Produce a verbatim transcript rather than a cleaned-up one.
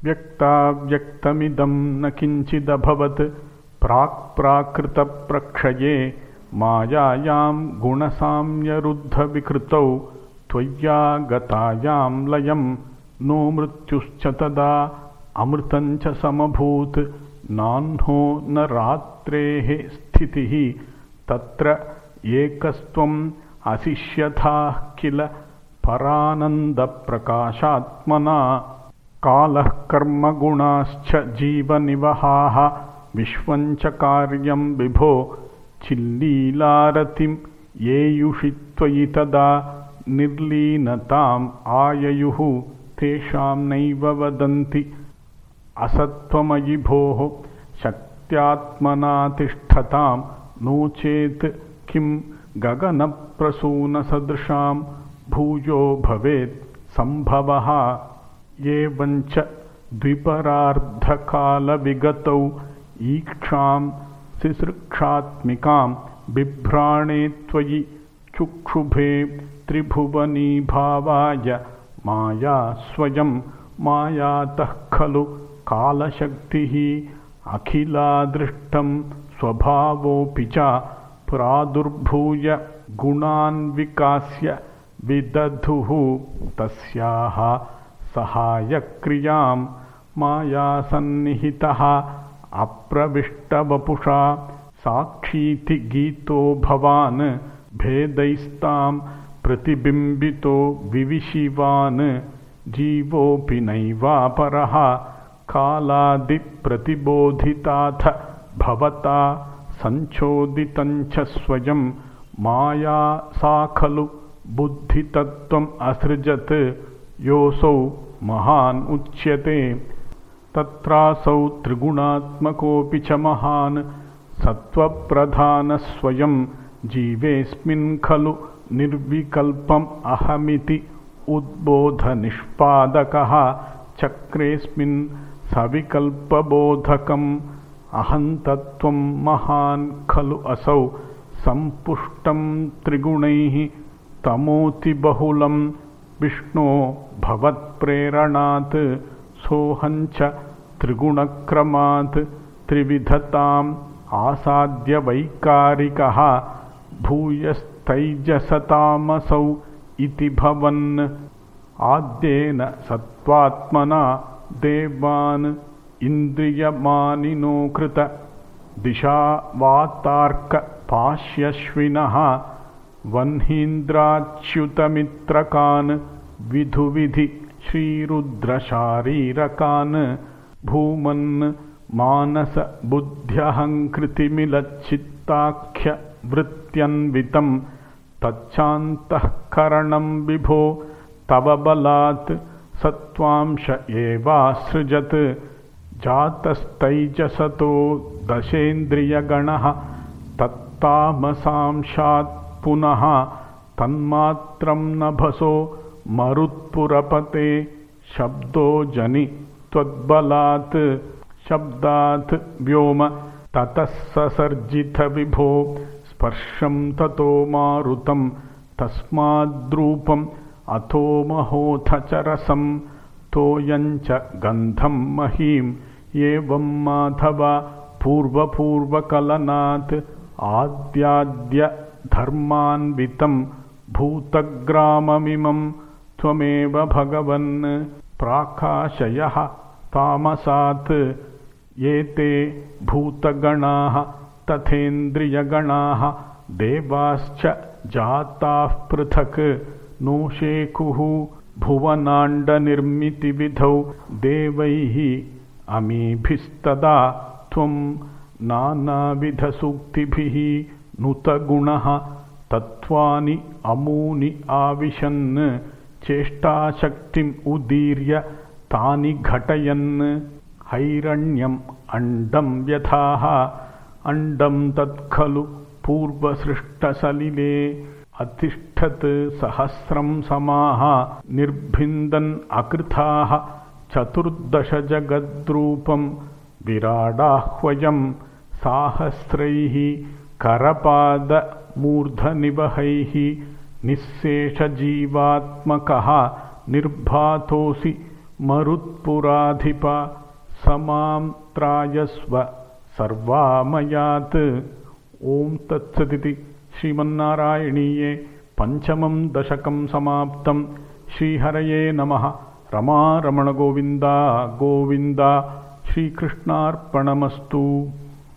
व्यक्ताव्यक्तमिदं न किञ्चिदभवत् प्राक्प्राकृतप्रक्षये मायायां गुणसाम्यरुद्धविकृतौ त्वय्यागतायां लयं नो मृत्युश्च तदा अमृतं च समभूत् नाह्नो न रात्रेः स्थितिः तत्र एकस्त्वम् अशिष्यथाः किल परानन्दप्रकाशात्मना कालः कर्मगुणाश्च जीवनिवहाः विश्वं च कार्यं विभो चिल्लीलारतिं येयुषि त्वयि तदा निर्लीनताम् आययुः तेषां नैव वदन्ति असत्त्वमयि भोः शक्त्यात्मना तिष्ठतां नो चेत् किं गगनप्रसूनसदृशां भूयो भवेत् सम्भवः एवञ्च द्विपरार्धकालविगतौ ईक्षां सिसृक्षात्मिकां बिभ्राणे त्वयि चुक्षुभे त्रिभुवनीभावाय माया स्वयं मायातः खलु कालशक्तिः अखिलादृष्टं स्वभावोऽपि च प्रादुर्भूय गुणान् विकास्य विदधुः तस्याः सहायक्रियां मायासन्निहितः अप्रविष्टवपुषा साक्षीति गीतो भवान् भेदैस्तां प्रतिबिम्बितो विविशिवान् जीवोऽपि नैवापरः कालादिप्रतिबोधिताथ भवता संचोदितञ्च स्वयं माया सा खलु बुद्धितत्त्वम् असृजत् योऽसौ महान् उच्यते तत्रासौ त्रिगुणात्मकोऽपि च महान् सत्त्वप्रधानः स्वयं जीवेऽस्मिन् खलु निर्विकल्पम् अहमिति उद्बोधनिष्पादकः चक्रेऽस्मिन् सविकल्पबोधकम् अहन्तत्वं महान् खलु असौ सम्पुष्टं त्रिगुणैः तमोतिबहुलं विष्णो भवत्प्रेरणात् सोऽहञ्च त्रिगुणक्रमात् त्रिविधताम् आसाद्य वैकारिकः भूयस्तैजसतामसौ इति भवन् आद्येन सत्त्वात्मना देवान् इन्द्रियमानिनो कृत दिशावातार्क पाश्यश्विनः वह्नीन्द्राच्युतमित्रकान् विधुविधि श्रीरुद्रशारीरकान् भूमन् मानस बुद्ध्यहङ्कृतिमिलच्चित्ताख्य वृत्त्यन्वितं तच्चान्तःकरणं विभो तव बलात् सत्त्वांश एवासृजत् जातस्तैजसतो दशेन्द्रियगणः तत्तामसांशात् पुनः तन्मात्रं नभसो मरुत्पुरपते शब्दो जनि त्वद्बलात् शब्दात् व्योम ततः ससर्जित विभो स्पर्शं ततो मारुतं तस्माद्रूपम् अथो महोऽथ च रसं तोयञ्च गन्धं महीम् एवं माधव पूर्वपूर्वकलनात् आद्याद्य धर्मान्वितं भूतग्राममिमं त्वमेव भगवन् प्राकाशयः तामसात् एते भूतगणाः तथेन्द्रियगणाः देवाश्च जाताः पृथक् नो शेकुः भुवनाण्डनिर्मितिविधौ देवैः अमीभिस्तदा त्वं नानाविधसूक्तिभिः नुतगुणः तत्त्वानि अमूनि आविशन् चेष्टाशक्तिम् उदीर्य तानि घटयन् हैरण्यम् अण्डं व्यथाः अण्डं तत्खलु पूर्वसृष्टसलिले अतिष्ठत् सहस्रं समाः निर्भिन्दन् अकृथाः चतुर्दश जगद्रूपं विराडाह्वयं साहस्रैः करपादमूर्धनिवहैः निःशेषजीवात्मकः निर्भातोऽसि मरुत्पुराधिप समां त्रायस्व सर्वामयात्। ओम तत्सदिति श्रीमन्नारायणीये पंचमं दशकं समाप्तं। श्रीहरये नमः। रमा रमण गोविंदा गोविंदा। श्रीकृष्णार्पणमस्तु।